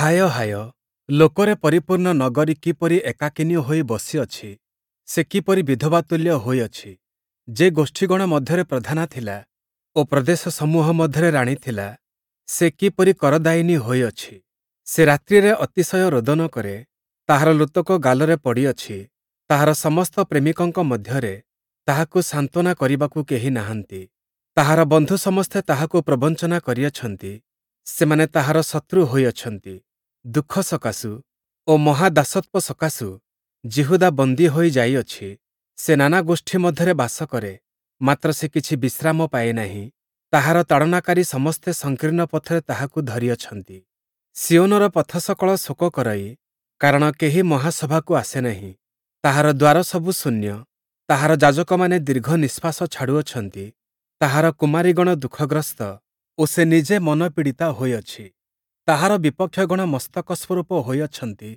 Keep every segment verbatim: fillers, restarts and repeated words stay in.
ହାୟ ହାୟ, ଲୋକରେ ପରିପୂର୍ଣ୍ଣ ନଗରୀ କିପରି ଏକାକିନୀ ହୋଇ ବସିଅଛି! ସେ କିପରି ବିଧବା ତୁଲ୍ୟ ହୋଇଅଛି! ଯେ ଗୋଷ୍ଠୀଗଣ ମଧ୍ୟରେ ପ୍ରଧାନା ଥିଲା ଓ ପ୍ରଦେଶସମୂହ ମଧ୍ୟରେ ରାଣୀ ଥିଲା, ସେ କିପରି କରଦାୟିନୀ ହୋଇଅଛି! ସେ ରାତ୍ରିରେ ଅତିଶୟ ରୋଦନ କରେ, ତାହାର ଲୋତକ ଗାଲରେ ପଡ଼ିଅଛି, ତାହାର ସମସ୍ତ ପ୍ରେମିକଙ୍କ ମଧ୍ୟରେ ତାହାକୁ ସାନ୍ତ୍ୱନା କରିବାକୁ କେହି ନାହାନ୍ତି। ତାହାର ବନ୍ଧୁ ସମସ୍ତେ ତାହାକୁ ପ୍ରବଞ୍ଚନା କରିଅଛନ୍ତି, ସେମାନେ ତାହାର ଶତ୍ରୁ ହୋଇଅଛନ୍ତି। ଦୁଃଖ ସକାଶୁ ଓ ମହା ଦାସତ୍ୱ ସକାଶୁ ଯିହୁଦା ବନ୍ଦୀ ହୋଇ ଯାଇଅଛି। ସେ ନାନା ଗୋଷ୍ଠୀ ମଧ୍ୟରେ ବାସ କରେ, ମାତ୍ର ସେ କିଛି ବିଶ୍ରାମ ପାଏ ନାହିଁ। ତାହାର ତାଡ଼ନାକାରୀ ସମସ୍ତେ ସଂକୀର୍ଣ୍ଣ ପଥରେ ତାହାକୁ ଧରିଅଛନ୍ତି। ସିୟୋନର ପଥସକଳ ଶୋକ କରଇ, କାରଣ କେହି ମହାସଭାକୁ ଆସେ ନାହିଁ। ତାହାର ଦ୍ୱାରସବୁ ଶୂନ୍ୟ, ତାହାର ଯାଜକମାନେ ଦୀର୍ଘନିଶ୍ୱାସ ଛାଡ଼ୁଅଛନ୍ତି, ତାହାର କୁମାରୀଗଣ ଦୁଃଖଗ୍ରସ୍ତ ଓ ସେ ନିଜେ ମନପୀଡ଼ିତା ହୋଇଅଛି। ତାହାର ବିପକ୍ଷଗଣ ମସ୍ତକ ସ୍ୱରୂପ ହୋଇଅଛନ୍ତି,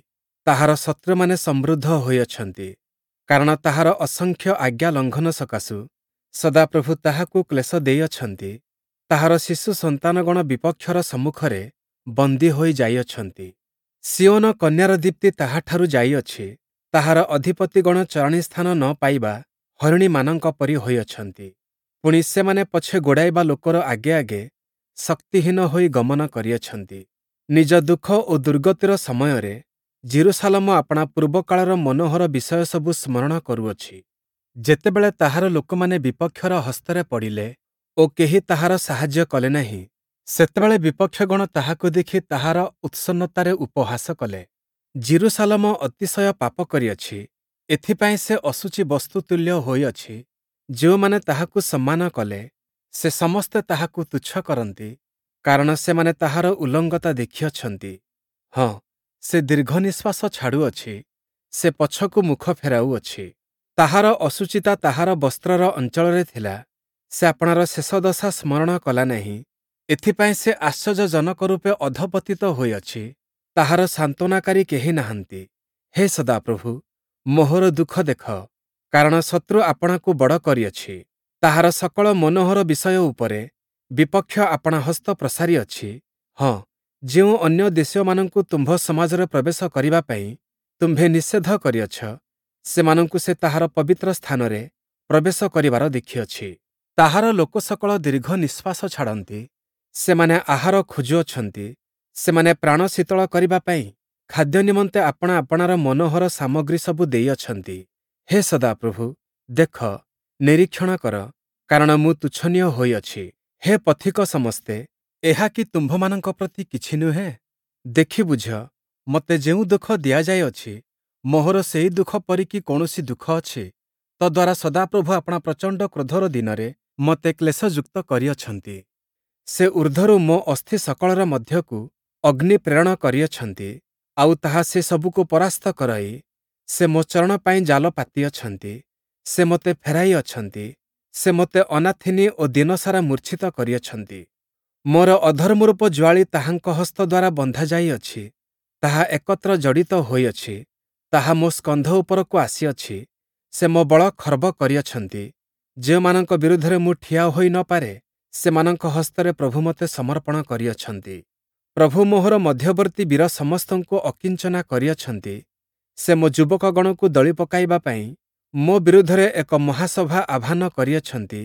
ତାହାର ଶତ୍ରୁମାନେ ସମୃଦ୍ଧ ହୋଇଅଛନ୍ତି, କାରଣ ତାହାର ଅସଂଖ୍ୟ ଆଜ୍ଞା ଲଙ୍ଘନ ସକାଶୁ ସଦାପ୍ରଭୁ ତାହାକୁ କ୍ଲେଶ ଦେଇଅଛନ୍ତି। ତାହାର ଶିଶୁ ସନ୍ତାନଗଣ ବିପକ୍ଷର ସମ୍ମୁଖରେ ବନ୍ଦୀ ହୋଇ ଯାଇଅଛନ୍ତି। ସିୟୋନ କନ୍ୟାର ଦୀପ୍ତି ତାହାଠାରୁ ଯାଇଅଛି, ତାହାର ଅଧିପତିଗଣ ଚରାଣୀ ସ୍ଥାନ ନ ପାଇବା ହରିଣୀମାନଙ୍କ ପରି ହୋଇଅଛନ୍ତି। ପୁଣି ସେମାନେ ପଛେ ଗୋଡ଼ାଇବା ଲୋକର ଆଗେ ଆଗେ ଶକ୍ତିହୀନ ହୋଇ ଗମନ କରିଅଛନ୍ତି। ନିଜ ଦୁଃଖ ଓ ଦୁର୍ଗତିର ସମୟରେ ଯିରୂଶାଲମ ଆପଣା ପୂର୍ବକାଳର ମନୋହର ବିଷୟସବୁ ସ୍ମରଣ କରୁଅଛି। ଯେତେବେଳେ ତାହାର ଲୋକମାନେ ବିପକ୍ଷର ହସ୍ତରେ ପଡ଼ିଲେ ଓ କେହି ତାହାର ସାହାଯ୍ୟ କଲେ ନାହିଁ, ସେତେବେଳେ ବିପକ୍ଷଗଣ ତାହାକୁ ଦେଖି ତାହାର ଉତ୍ସନ୍ନତାରେ ଉପହାସ କଲେ। ଯିରୂଶାଲମ ଅତିଶୟ ପାପ କରିଅଛି, ଏଥିପାଇଁ ସେ ଅଶୁଚି ବସ୍ତୁ ତୁଲ୍ୟ ହୋଇଅଛି। ଯେଉଁମାନେ ତାହାକୁ ସମ୍ମାନ କଲେ, ସେ ସମସ୍ତେ ତାହାକୁ ତୁଚ୍ଛ କରନ୍ତି, କାରଣ ସେମାନେ ତାହାର ଉଲଙ୍ଗତା ଦେଖିଅଛନ୍ତି। ହଁ, ସେ ଦୀର୍ଘନିଶ୍ୱାସ ଛାଡ଼ୁଅଛି, ସେ ପଛକୁ ମୁଖ ଫେରାଉଅଛି। ତାହାର ଅଶୁଚିତା ତାହାର ବସ୍ତ୍ରର ଅଞ୍ଚଳରେ ଥିଲା, ସେ ଆପଣାର ଶେଷ ଦଶା ସ୍ମରଣ କଲା ନାହିଁ। ଏଥିପାଇଁ ସେ ଆଶ୍ଚର୍ଯ୍ୟଜନକ ରୂପେ ଅଧଃପତିତ ହୋଇଅଛି, ତାହାର ସାନ୍ତ୍ୱନାକାରୀ କେହି ନାହାନ୍ତି। ହେ ସଦାପ୍ରଭୁ, ମୋହର ଦୁଃଖ ଦେଖ, କାରଣ ଶତ୍ରୁ ଆପଣାକୁ ବଡ଼ କରିଅଛି। ତାହାର ସକଳ ମନୋହର ବିଷୟ ଉପରେ ବିପକ୍ଷ ଆପଣା ହସ୍ତ ପ୍ରସାରିଅଛି। ହଁ, ଯେଉଁ ଅନ୍ୟ ଦେଶୀୟମାନଙ୍କୁ ତୁମ୍ଭ ସମାଜରେ ପ୍ରବେଶ କରିବା ପାଇଁ ତୁମ୍ଭେ ନିଷେଧ କରିଅଛ, ସେମାନଙ୍କୁ ସେ ତାହାର ପବିତ୍ର ସ୍ଥାନରେ ପ୍ରବେଶ କରିବାର ଦେଖିଅଛି। ତାହାର ଲୋକସକଳ ଦୀର୍ଘନିଶ୍ୱାସ ଛାଡ଼ନ୍ତି, ସେମାନେ ଆହାର ଖୋଜୁଅଛନ୍ତି, ସେମାନେ ପ୍ରାଣ ଶୀତଳ କରିବା ପାଇଁ ଖାଦ୍ୟ ନିମନ୍ତେ ଆପଣା ଆପଣାର ମନୋହର ସାମଗ୍ରୀ ସବୁ ଦେଇଅଛନ୍ତି। ହେ ସଦାପ୍ରଭୁ, ଦେଖ, ନିରୀକ୍ଷଣ କର, କାରଣ ମୁଁ ତୁଚ୍ଛନୀୟ ହୋଇଅଛି। ହେ ପଥିକ ସମସ୍ତେ, ଏହା କି ତୁମ୍ଭମାନଙ୍କ ପ୍ରତି କିଛି ନୁହେଁ? ଦେଖି ବୁଝ, ମୋତେ ଯେଉଁ ଦୁଃଖ ଦିଆଯାଇଅଛି, ମୋହର ସେହି ଦୁଃଖ ପରି କି କୌଣସି ଦୁଃଖ ଅଛି? ତଦ୍ଦ୍ୱାରା ସଦାପ୍ରଭୁ ଆପଣା ପ୍ରଚଣ୍ଡ କ୍ରୋଧର ଦିନରେ ମୋତେ କ୍ଲେଶଯୁକ୍ତ କରିଅଛନ୍ତି। ସେ ଊର୍ଦ୍ଧ୍ୱରୁ ମୋ ଅସ୍ଥି ସକଳର ମଧ୍ୟକୁ ଅଗ୍ନି ପ୍ରେରଣ କରିଅଛନ୍ତି, ଆଉ ତାହା ସେ ସବୁକୁ ପରାସ୍ତ କରଇ, ସେ ମୋ ଚରଣ ପାଇଁ ଜାଲ ପାତିଅଛନ୍ତି। ସେ ମୋତେ ଫେରାଇ ଅଛନ୍ତି, ସେ ମୋତେ ଅନାଥିନୀ ଓ ଦିନସାରା ମୂର୍ଚ୍ଛିତ କରିଅଛନ୍ତି। ମୋର ଅଧର୍ମରୂପ ଯୁଆଳି ତାହାଙ୍କ ହସ୍ତ ଦ୍ୱାରା ବନ୍ଧା ଯାଇଅଛି, ତାହା ଏକତ୍ର ଜଡ଼ିତ ହୋଇଅଛି, ତାହା ମୋ ସ୍କନ୍ଧ ଉପରକୁ ଆସିଅଛି। ସେ ମୋ ବଳ ଖର୍ବ କରିଅଛନ୍ତି। ଯେଉଁମାନଙ୍କ ବିରୁଦ୍ଧରେ ମୁଁ ଠିଆ ହୋଇ ନ ପାରେ, ସେମାନଙ୍କ ହସ୍ତରେ ପ୍ରଭୁ ମୋତେ ସମର୍ପଣ କରିଅଛନ୍ତି। ପ୍ରଭୁ ମୋହର ମଧ୍ୟବର୍ତ୍ତୀ ବୀର ସମସ୍ତଙ୍କୁ ଅକିଞ୍ଚନା କରିଅଛନ୍ତି। ସେ ମୋ ଯୁବକଗଣକୁ ଦଳି ପକାଇବା ପାଇଁ ମୋ ବିରୁଦ୍ଧରେ ଏକ ମହାସଭା ଆହ୍ୱାନ କରିଅଛନ୍ତି।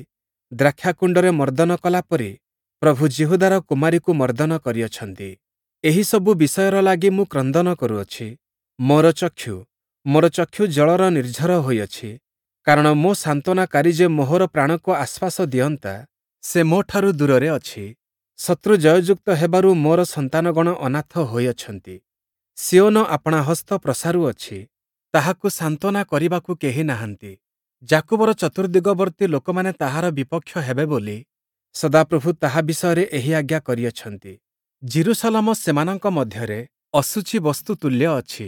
ଦ୍ରାକ୍ଷାକୁଣ୍ଡରେ ମର୍ଦ୍ଦନ କଲାପରି ପ୍ରଭୁ ଯିହୁଦାର କୁମାରୀକୁ ମର୍ଦ୍ଦନ କରିଅଛନ୍ତି। ଏହିସବୁ ବିଷୟର ଲାଗି ମୁଁ କ୍ରନ୍ଦନ କରୁଅଛି। ମୋର ଚକ୍ଷୁ, ମୋର ଚକ୍ଷୁ ଜଳର ନିର୍ଝର ହୋଇଅଛି, କାରଣ ମୋ ସାନ୍ତ୍ୱନାକାରୀ ଯେ ମୋହର ପ୍ରାଣକୁ ଆଶ୍ୱାସ ଦିଅନ୍ତା, ସେ ମୋଠାରୁ ଦୂରରେ ଅଛି। ଶତ୍ରୁ ଜୟଯୁକ୍ତ ହେବାରୁ ମୋର ସନ୍ତାନଗଣ ଅନାଥ ହୋଇଅଛନ୍ତି। ସିୟୋନ ଆପଣା ହସ୍ତ ପ୍ରସାରୁଅଛି, ତାହାକୁ ସାନ୍ତ୍ୱନା କରିବାକୁ କେହି ନାହାନ୍ତି। ଯାକୁବର ଚତୁର୍ଦ୍ଦିଗବର୍ତ୍ତୀ ଲୋକମାନେ ତାହାର ବିପକ୍ଷ ହେବେ ବୋଲି ସଦାପ୍ରଭୁ ତାହା ବିଷୟରେ ଏହି ଆଜ୍ଞା କରିଅଛନ୍ତି। ଯିରୂଶାଲମ ସେମାନଙ୍କ ମଧ୍ୟରେ ଅଶୁଚି ବସ୍ତୁ ତୁଲ୍ୟ ଅଛି।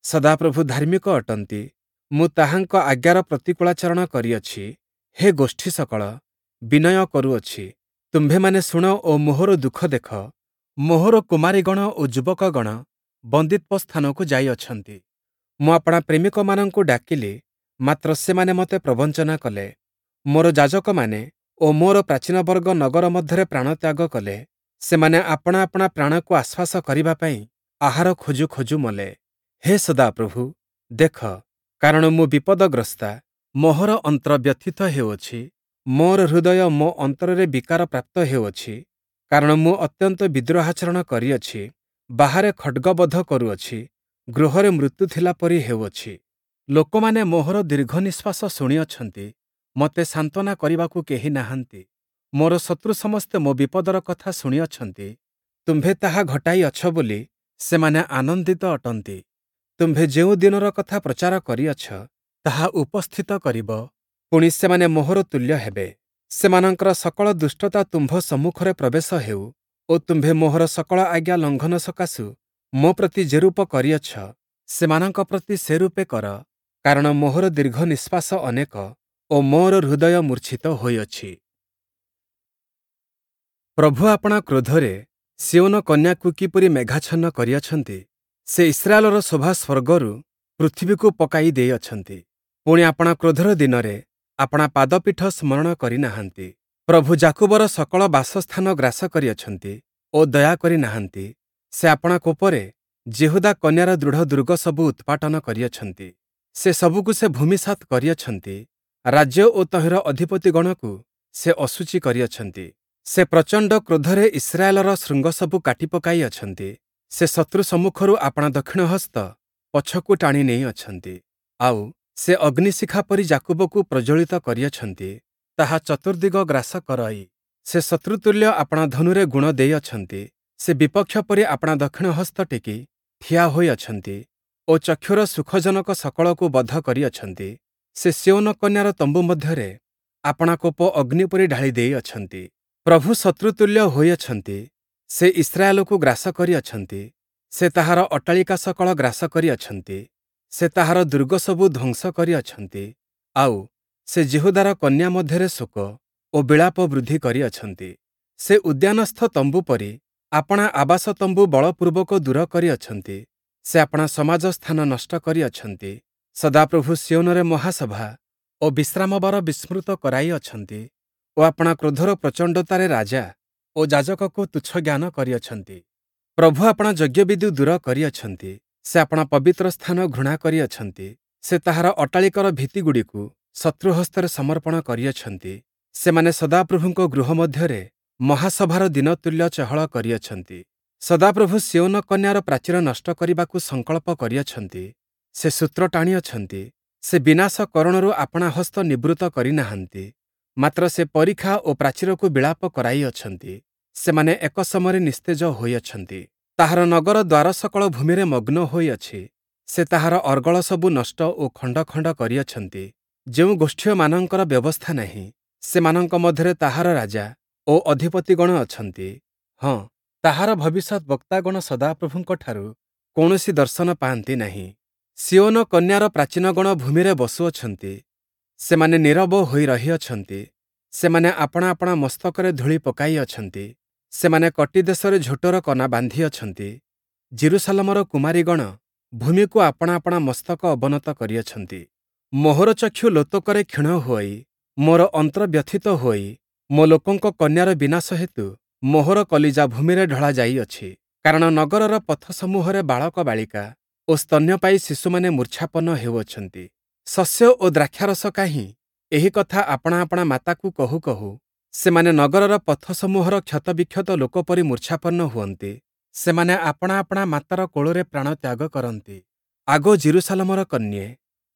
ସଦାପ୍ରଭୁ ଧାର୍ମିକ ଅଟନ୍ତି, ମୁଁ ତାହାଙ୍କ ଆଜ୍ଞାର ପ୍ରତିକୂଳାଚରଣ କରିଅଛି। ହେ ଗୋଷ୍ଠୀସକଳ, ବିନୟ କରୁଅଛି, ତୁମ୍ଭେମାନେ ଶୁଣ ଓ ମୋହର ଦୁଃଖ ଦେଖ। ମୋହର କୁମାରୀଗଣ ଓ ଯୁବକଗଣ ବନ୍ଦୀତ୍ୱ ସ୍ଥାନକୁ ଯାଇଅଛନ୍ତି। ମୁଁ ଆପଣା ପ୍ରେମିକମାନଙ୍କୁ ଡାକିଲି, ମାତ୍ର ସେମାନେ ମୋତେ ପ୍ରବଞ୍ଚନା କଲେ। ମୋର ଯାଜକମାନେ ଓ ମୋର ପ୍ରାଚୀନବର୍ଗ ନଗର ମଧ୍ୟରେ ପ୍ରାଣତ୍ୟାଗ କଲେ। ସେମାନେ ଆପଣା ଆପଣା ପ୍ରାଣକୁ ଆଶ୍ୱାସ କରିବା ପାଇଁ ଆହାର ଖୋଜୁ ଖୋଜୁ ମଲେ। ହେ ସଦାପ୍ରଭୁ, ଦେଖ, କାରଣ ମୁଁ ବିପଦଗ୍ରସ୍ତା, ମୋହର ଅନ୍ତର ବ୍ୟଥିତ ହେଉଅଛି, ମୋର ହୃଦୟ ମୋ ଅନ୍ତରରେ ବିକାର ପ୍ରାପ୍ତ ହେଉଅଛି, କାରଣ ମୁଁ ଅତ୍ୟନ୍ତ ବିଦ୍ରୋହାଚରଣ କରିଅଛି, ବାହାରେ ଖଡ଼୍ଗବଧ କରୁଅଛି, ଗୃହରେ ମୃତ୍ୟୁ ଥିଲା ପରି ହେଉଅଛି। ଲୋକମାନେ ମୋହର ଦୀର୍ଘନିଶ୍ୱାସ ଶୁଣିଅଛନ୍ତି, ମୋତେ ସାନ୍ତ୍ୱନା କରିବାକୁ କେହି ନାହାନ୍ତି। ମୋର ଶତ୍ରୁ ସମସ୍ତେ ମୋ ବିପଦର କଥା ଶୁଣିଅଛନ୍ତି, ତୁମ୍ଭେ ତାହା ଘଟାଇ ଅଛ ବୋଲି ସେମାନେ ଆନନ୍ଦିତ ଅଟନ୍ତି। ତୁମ୍ଭେ ଯେଉଁ ଦିନର କଥା ପ୍ରଚାର କରିଅଛ, ତାହା ଉପସ୍ଥିତ କରିବ, ପୁଣି ସେମାନେ ମୋହର ତୁଲ୍ୟ ହେବେ। ସେମାନଙ୍କର ସକଳ ଦୁଷ୍ଟତା ତୁମ୍ଭ ସମ୍ମୁଖରେ ପ୍ରବେଶ ହେଉ ଓ ତୁମ୍ଭେ ମୋହର ସକଳ ଆଜ୍ଞା ଲଙ୍ଘନ ସକାଶୁ ମୋ ପ୍ରତି ଯେରୂପ କରିଅଛ, ସେମାନଙ୍କ ପ୍ରତି ସେରୂପେ କର, କାରଣ ମୋହର ଦୀର୍ଘ ନିଶ୍ୱାସ ଅନେକ ଓ ମୋର ହୃଦୟ ମୂର୍ଚ୍ଛିତ ହୋଇଅଛି। ପ୍ରଭୁ ଆପଣା କ୍ରୋଧରେ ସିୟୋନ କନ୍ୟାକୁ କିପରି ମେଘାଚ୍ଛନ୍ନ କରିଅଛନ୍ତି! ସେ ଇସ୍ରାଏଲର ଶୋଭା ସ୍ୱର୍ଗରୁ ପୃଥିବୀକୁ ପକାଇ ଦେଇଅଛନ୍ତି। ପୁଣି ଆପଣା କ୍ରୋଧର ଦିନରେ ଆପଣା ପାଦପୀଠ ସ୍ମରଣ କରି ନାହାନ୍ତି। ପ୍ରଭୁ ଯାକୁବର ସକଳ ବାସସ୍ଥାନ ଗ୍ରାସ କରିଅଛନ୍ତି ଓ ଦୟା କରି ନାହାନ୍ତି। ସେ ଆପଣା କୋପରେ ଯିହୁଦା କନ୍ୟାର ଦୃଢ଼ ଦୁର୍ଗସବୁ ଉତ୍ପାଟନ କରିଅଛନ୍ତି। ସେ ସବୁକୁ ସେ ଭୂମିସାତ୍ କରିଅଛନ୍ତି, ରାଜ୍ୟ ଓ ତହିଁର ଅଧିପତିଗଣକୁ ସେ ଅଶୁଚି କରିଅଛନ୍ତି। ସେ ପ୍ରଚଣ୍ଡ କ୍ରୋଧରେ ଇସ୍ରାଏଲର ଶୃଙ୍ଗସବୁ କାଟି ପକାଇ ଅଛନ୍ତି। ସେ ଶତ୍ରୁ ସମ୍ମୁଖରୁ ଆପଣା ଦକ୍ଷିଣ ହସ୍ତ ପଛକୁ ଟାଣି ନେଇଅଛନ୍ତି। ଆଉ, ସେ ଅଗ୍ନିଶିଖା ପରି ଯାକୁବକୁ ପ୍ରଜ୍ୱଳିତ କରିଅଛନ୍ତି, ତାହା ଚତୁର୍ଦ୍ଦିଗ ଗ୍ରାସ କରଇ। ସେ ଶତ୍ରୁତୁଲ୍ୟ ଆପଣା ଧନୁରେ ଗୁଣ ଦେଇଅଛନ୍ତି। ସେ ବିପକ୍ଷ ପରି ଆପଣା ଦକ୍ଷିଣ ହସ୍ତ ଟେକି ଠିଆ ହୋଇଅଛନ୍ତି ଓ ଚକ୍ଷୁର ସୁଖଜନକ ସକଳକୁ ବଧ କରିଅଛନ୍ତି। ସେ ସିୟୋନ କନ୍ୟାର ତମ୍ବୁ ମଧ୍ୟରେ ଆପଣା କୋପ ଅଗ୍ନି ପରି ଢାଳି ଦେଇଅଛନ୍ତି। ପ୍ରଭୁ ଶତ୍ରୁତୁଲ୍ୟ ହୋଇଅଛନ୍ତି, ସେ ଇସ୍ରାଏଲକୁ ଗ୍ରାସ କରିଅଛନ୍ତି, ସେ ତାହାର ଅଟ୍ଟାଳିକା ସକଳ ଗ୍ରାସ କରିଅଛନ୍ତି, ସେ ତାହାର ଦୁର୍ଗସବୁ ଧ୍ୱଂସ କରିଅଛନ୍ତି, ଆଉ, ସେ ଯିହୁଦାର କନ୍ୟା ମଧ୍ୟରେ ଶୋକ ଓ ବିଳାପ ବୃଦ୍ଧି କରିଅଛନ୍ତି। ସେ ଉଦ୍ୟାନସ୍ଥ ତମ୍ବୁ ପରି ଆପଣା ଆବାସ ତମ୍ବୁ ବଳପୂର୍ବକ ଦୂର କରିଅଛନ୍ତି, ସେ ଆପଣା ସମାଜ ସ୍ଥାନ ନଷ୍ଟ କରିଅଛନ୍ତି। ସଦାପ୍ରଭୁ ସିୟୋନରେ ମହାସଭା ଓ ବିଶ୍ରାମବାର ବିସ୍ମୃତ କରାଇଅଛନ୍ତି ଓ ଆପଣା କ୍ରୋଧର ପ୍ରଚଣ୍ଡତାରେ ରାଜା ଓ ଯାଜକକୁ ତୁଚ୍ଛ ଜ୍ଞାନ କରିଅଛନ୍ତି। ପ୍ରଭୁ ଆପଣା ଯଜ୍ଞବେଦି ଦୂର କରିଅଛନ୍ତି, ସେ ଆପଣା ପବିତ୍ର ସ୍ଥାନ ଘୃଣା କରିଅଛନ୍ତି। ସେ ତାହାର ଅଟ୍ଟାଳିକାର ଭିତ୍ତିଗୁଡ଼ିକୁ ଶତ୍ରୁ ହସ୍ତରେ ସମର୍ପଣ କରିଅଛନ୍ତି। ସେମାନେ ସଦାପ୍ରଭୁଙ୍କ ଗୃହ ମଧ୍ୟରେ ମହାସଭାର ଦିନ ତୁଲ୍ୟ ଚହଳ କରିଅଛନ୍ତି। ସଦାପ୍ରଭୁ ସିୟୋନ କନ୍ୟାର ପ୍ରାଚୀର ନଷ୍ଟ କରିବାକୁ ସଂକଳ୍ପ କରିଅଛନ୍ତି, ସେ ସୂତ୍ର ଟାଣିଅଛନ୍ତି, ସେ ବିନାଶ କରଣରୁ ଆପଣା ହସ୍ତ ନିବୃତ୍ତ କରିନାହାନ୍ତି, ମାତ୍ର ସେ ପରିଖା ଓ ପ୍ରାଚୀରକୁ ବିଳାପ କରାଇଅଛନ୍ତି। ସେମାନେ ଏକ ସମୟରେ ନିସ୍ତେଜ ହୋଇଅଛନ୍ତି। ତାହାର ନଗର ଦ୍ୱାର ସକଳ ଭୂମିରେ ମଗ୍ନ ହୋଇଅଛି। ସେ ତାହାର ଅର୍ଗଳ ସବୁ ନଷ୍ଟ ଓ ଖଣ୍ଡ ଖଣ୍ଡ କରିଅଛନ୍ତି। ଯେଉଁ ଗୋଷ୍ଠୀୟମାନଙ୍କର ବ୍ୟବସ୍ଥା ନାହିଁ, ସେମାନଙ୍କ ମଧ୍ୟରେ ତାହାର ରାଜା ଓ ଅଧିପତିଗଣ ଅଛନ୍ତି। ହଁ, ତାହାର ଭବିଷ୍ୟଦ୍‌ବକ୍ତାଗଣ ସଦାପ୍ରଭୁଙ୍କଠାରୁ କୌଣସି ଦର୍ଶନ ପାଆନ୍ତି ନାହିଁ। ସିୟୋନ କନ୍ୟାର ପ୍ରାଚୀନଗଣ ଭୂମିରେ ବସୁଅଛନ୍ତି, ସେମାନେ ନୀରବ ହୋଇ ରହିଅଛନ୍ତି, ସେମାନେ ଆପଣା ଆପଣା ମସ୍ତକରେ ଧୂଳି ପକାଇଅଛନ୍ତି, ସେମାନେ କଟିଦେଶରେ ଝୋଟର କନା ବାନ୍ଧିଅଛନ୍ତି। ଯିରୂଶାଲମର କୁମାରୀଗଣ ଭୂମିକୁ ଆପଣା ଆପଣା ମସ୍ତକ ଅବନତ କରିଅଛନ୍ତି। ମୋହର ଚକ୍ଷୁ ଲୋତକରେ କ୍ଷୀଣ ହୋଇ, ମୋର ଅନ୍ତର ବ୍ୟଥିତ ହୋଇ, ମୋ ଲୋକଙ୍କ କନ୍ୟାର ବିନାଶ ହେତୁ ମୋହର କଲିଜା ଭୂମିରେ ଢଳା ଯାଇଅଛି। କାରଣ ନଗରର ପଥସମୂହରେ ବାଳକ ବାଳିକା ଓ ସ୍ତନ୍ୟପାୟୀ ଶିଶୁମାନେ ମୂର୍ଚ୍ଛାପନ୍ନ ହେଉଅଛନ୍ତି। ଶସ୍ୟ ଓ ଦ୍ରାକ୍ଷାରସ କାହିଁ? ଏହି କଥା ଆପଣା ଆପଣା ମାତାକୁ କହୁ କହୁ ସେମାନେ ନଗରର ପଥସମୂହର କ୍ଷତବିକ୍ଷତ ଲୋକ ପରି ମୂର୍ଚ୍ଛାପନ୍ନ ହୁଅନ୍ତି। ସେମାନେ ଆପଣା ଆପଣା ମାତାର କୋଳରେ ପ୍ରାଣତ୍ୟାଗ କରନ୍ତି। ଆଗୋ ଯିରୂଶାଲମର କନ୍ୟେ,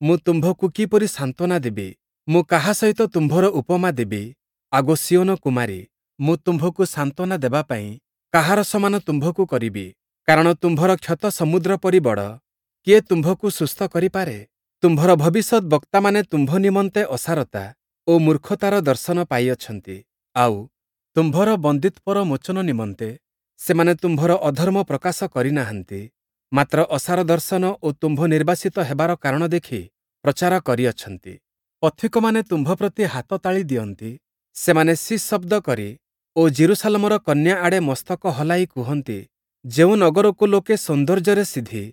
ମୁଁ ତୁମ୍ଭକୁ କିପରି ସାନ୍ତ୍ୱନା ଦେବି? ମୁଁ କାହା ସହିତ ତୁମ୍ଭର ଉପମା ଦେବି? ଆଗୋ ସିୟୋନ କୁମାରୀ, ମୁଁ ତୁମ୍ଭକୁ ସାନ୍ତ୍ୱନା ଦେବା ପାଇଁ କାହାର ସମାନ ତୁମ୍ଭକୁ କରିବି? କାରଣ ତୁମ୍ଭର କ୍ଷତ ସମୁଦ୍ର ପରି ବଡ଼, କିଏ ତୁମ୍ଭକୁ ସୁସ୍ଥ କରିପାରେ? ତୁମ୍ଭର ଭବିଷ୍ୟଦ୍‌ବକ୍ତାମାନେ ତୁମ୍ଭ ନିମନ୍ତେ ଅସାରତା ଓ ମୂର୍ଖତାର ଦର୍ଶନ ପାଇଅଛନ୍ତି, ଆଉ, ତୁମ୍ଭର ବନ୍ଦୀତ୍ୱର ମୋଚନ ନିମନ୍ତେ ସେମାନେ ତୁମ୍ଭର ଅଧର୍ମ ପ୍ରକାଶ କରିନାହାନ୍ତି, ମାତ୍ର ଅସାର ଦର୍ଶନ ଓ ତୁମ୍ଭ ନିର୍ବାସିତ ହେବାର କାରଣ ଦେଖି ପ୍ରଚାର କରିଅଛନ୍ତି। ପଥିକମାନେ ତୁମ୍ଭ ପ୍ରତି ହାତତାଳି ଦିଅନ୍ତି, ସେମାନେ ଶି ଶବ୍ଦ କରି ଓ ଯିରୂଶାଲମର କନ୍ୟା ଆଡ଼େ ମସ୍ତକ ହଲାଇ କୁହନ୍ତି, ଯେଉଁ ନଗରକୁ ଲୋକେ ସୌନ୍ଦର୍ଯ୍ୟରେ ସିଦ୍ଧି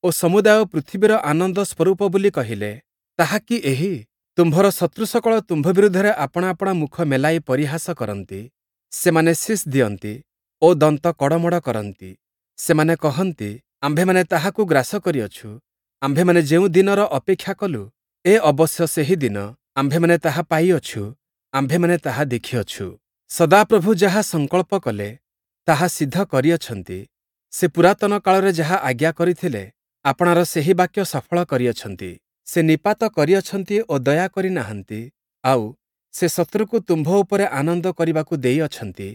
ଓ ସମୁଦାୟ ପୃଥିବୀର ଆନନ୍ଦ ସ୍ୱରୂପ ବୋଲି କହିଲେ, ତାହା କି ଏହି? ତୁମ୍ଭର ଶତ୍ରୁସକଳ ତୁମ୍ଭ ବିରୁଦ୍ଧରେ ଆପଣା ଆପଣା ମୁଖ ମେଲାଇ ପରିହାସ କରନ୍ତି। ସେମାନେ ଶୀଷ୍ ଦିଅନ୍ତି ଓ ଦନ୍ତ କଡ଼ମଡ଼ କରନ୍ତି। ସେମାନେ କହନ୍ତି, ଆମ୍ଭେମାନେ ତାହାକୁ ଗ୍ରାସ କରିଅଛୁ। ଆମ୍ଭେମାନେ ଯେଉଁ ଦିନର ଅପେକ୍ଷା କଲୁ, ଏ ଅବଶ୍ୟ ସେହି ଦିନ, ଆମ୍ଭେମାନେ ତାହା ପାଇଅଛୁ, ଆମ୍ଭେମାନେ ତାହା ଦେଖିଅଛୁ। ସଦାପ୍ରଭୁ ଯାହା ସଂକଳ୍ପ କଲେ, ତାହା ସିଦ୍ଧ କରିଅଛନ୍ତି। ସେ ପୁରାତନ କାଳରେ ଯାହା ଆଜ୍ଞା କରିଥିଲେ, ଆପଣାର ସେହି ବାକ୍ୟ ସଫଳ କରିଅଛନ୍ତି। ସେ ନିପାତ କରିଅଛନ୍ତି ଓ ଦୟା କରି ନାହାନ୍ତି, ଆଉ, ସେ ଶତ୍ରୁକୁ ତୁମ୍ଭ ଉପରେ ଆନନ୍ଦ କରିବାକୁ ଦେଇଅଛନ୍ତି।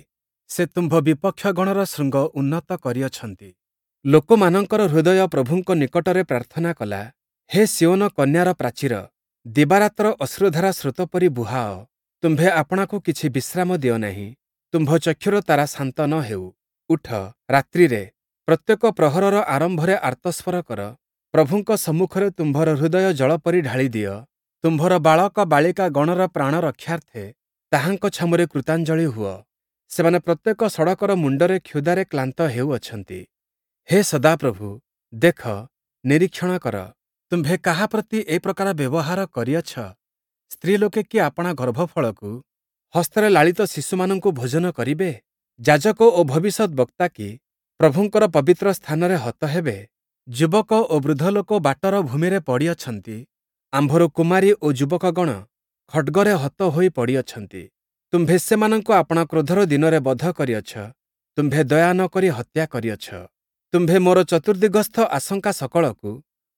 ସେ ତୁମ୍ଭ ବିପକ୍ଷଗଣର ଶୃଙ୍ଗ ଉନ୍ନତ କରିଅଛନ୍ତି। ଲୋକମାନଙ୍କର ହୃଦୟ ପ୍ରଭୁଙ୍କ ନିକଟରେ ପ୍ରାର୍ଥନା କଲା। ହେ ସିୟୋନ କନ୍ୟାର ପ୍ରାଚୀର, ଦିବାରାତ୍ର ଅଶ୍ରୁଧାରା ସ୍ରୋତ ପରି ବୁହାଅ। ତୁମ୍ଭେ ଆପଣାକୁ କିଛି ବିଶ୍ରାମ ଦିଅ ନାହିଁ, ତୁମ୍ଭ ଚକ୍ଷୁର ତାରା ଶାନ୍ତ ନ ହେଉ। ଉଠ, ରାତ୍ରିରେ, ପ୍ରତ୍ୟେକ ପ୍ରହରର ଆରମ୍ଭରେ ଆର୍ତ୍ତସ୍ୱର କର। ପ୍ରଭୁଙ୍କ ସମ୍ମୁଖରେ ତୁମ୍ଭର ହୃଦୟ ଜଳ ପରି ଢାଳିଦିଅ। ତୁମ୍ଭର ବାଳକ ବାଳିକା ଗଣର ପ୍ରାଣ ରକ୍ଷାର୍ଥେ ତାହାଙ୍କ ଛାମୁରେ କୃତାଞ୍ଜଳି ହୁଅ। ସେମାନେ ପ୍ରତ୍ୟେକ ସଡ଼କର ମୁଣ୍ଡରେ କ୍ଷୁଧାରେ କ୍ଳାନ୍ତ ହେଉଅଛନ୍ତି। ହେ ସଦାପ୍ରଭୁ, ଦେଖ, ନିରୀକ୍ଷଣ କର, ତୁମ୍ଭେ କାହା ପ୍ରତି ଏ ପ୍ରକାର ବ୍ୟବହାର କରିଅଛ? ସ୍ତ୍ରୀଲୋକେ କି ଆପଣା ଗର୍ଭଫଳକୁ, ହସ୍ତରେ ଲାଳିତ ଶିଶୁମାନଙ୍କୁ ଭୋଜନ କରିବେ? ଯାଜକ ଓ ଭବିଷ୍ୟଦ୍‌ବକ୍ତା କି ପ୍ରଭୁଙ୍କର ପବିତ୍ର ସ୍ଥାନରେ ହତ ହେବେ? ଯୁବକ ଓ ବୃଦ୍ଧ ଲୋକ ବାଟର ଭୂମିରେ ପଡ଼ିଅଛନ୍ତି, ଆମ୍ଭର କୁମାରୀ ଓ ଯୁବକଗଣ ଖଡ୍ଗରେ ହତ ହୋଇ ପଡ଼ିଅଛନ୍ତି। ତୁମ୍ଭେ ସେମାନଙ୍କୁ ଆପଣା କ୍ରୋଧର ଦିନରେ ବଧ କରିଅଛ, ତୁମ୍ଭେ ଦୟା ନ କରି ହତ୍ୟା କରିଅଛ। ତୁମ୍ଭେ ମୋର ଚତୁର୍ଦ୍ଦିଗସ୍ଥ ଆଶଙ୍କା ସକଳକୁ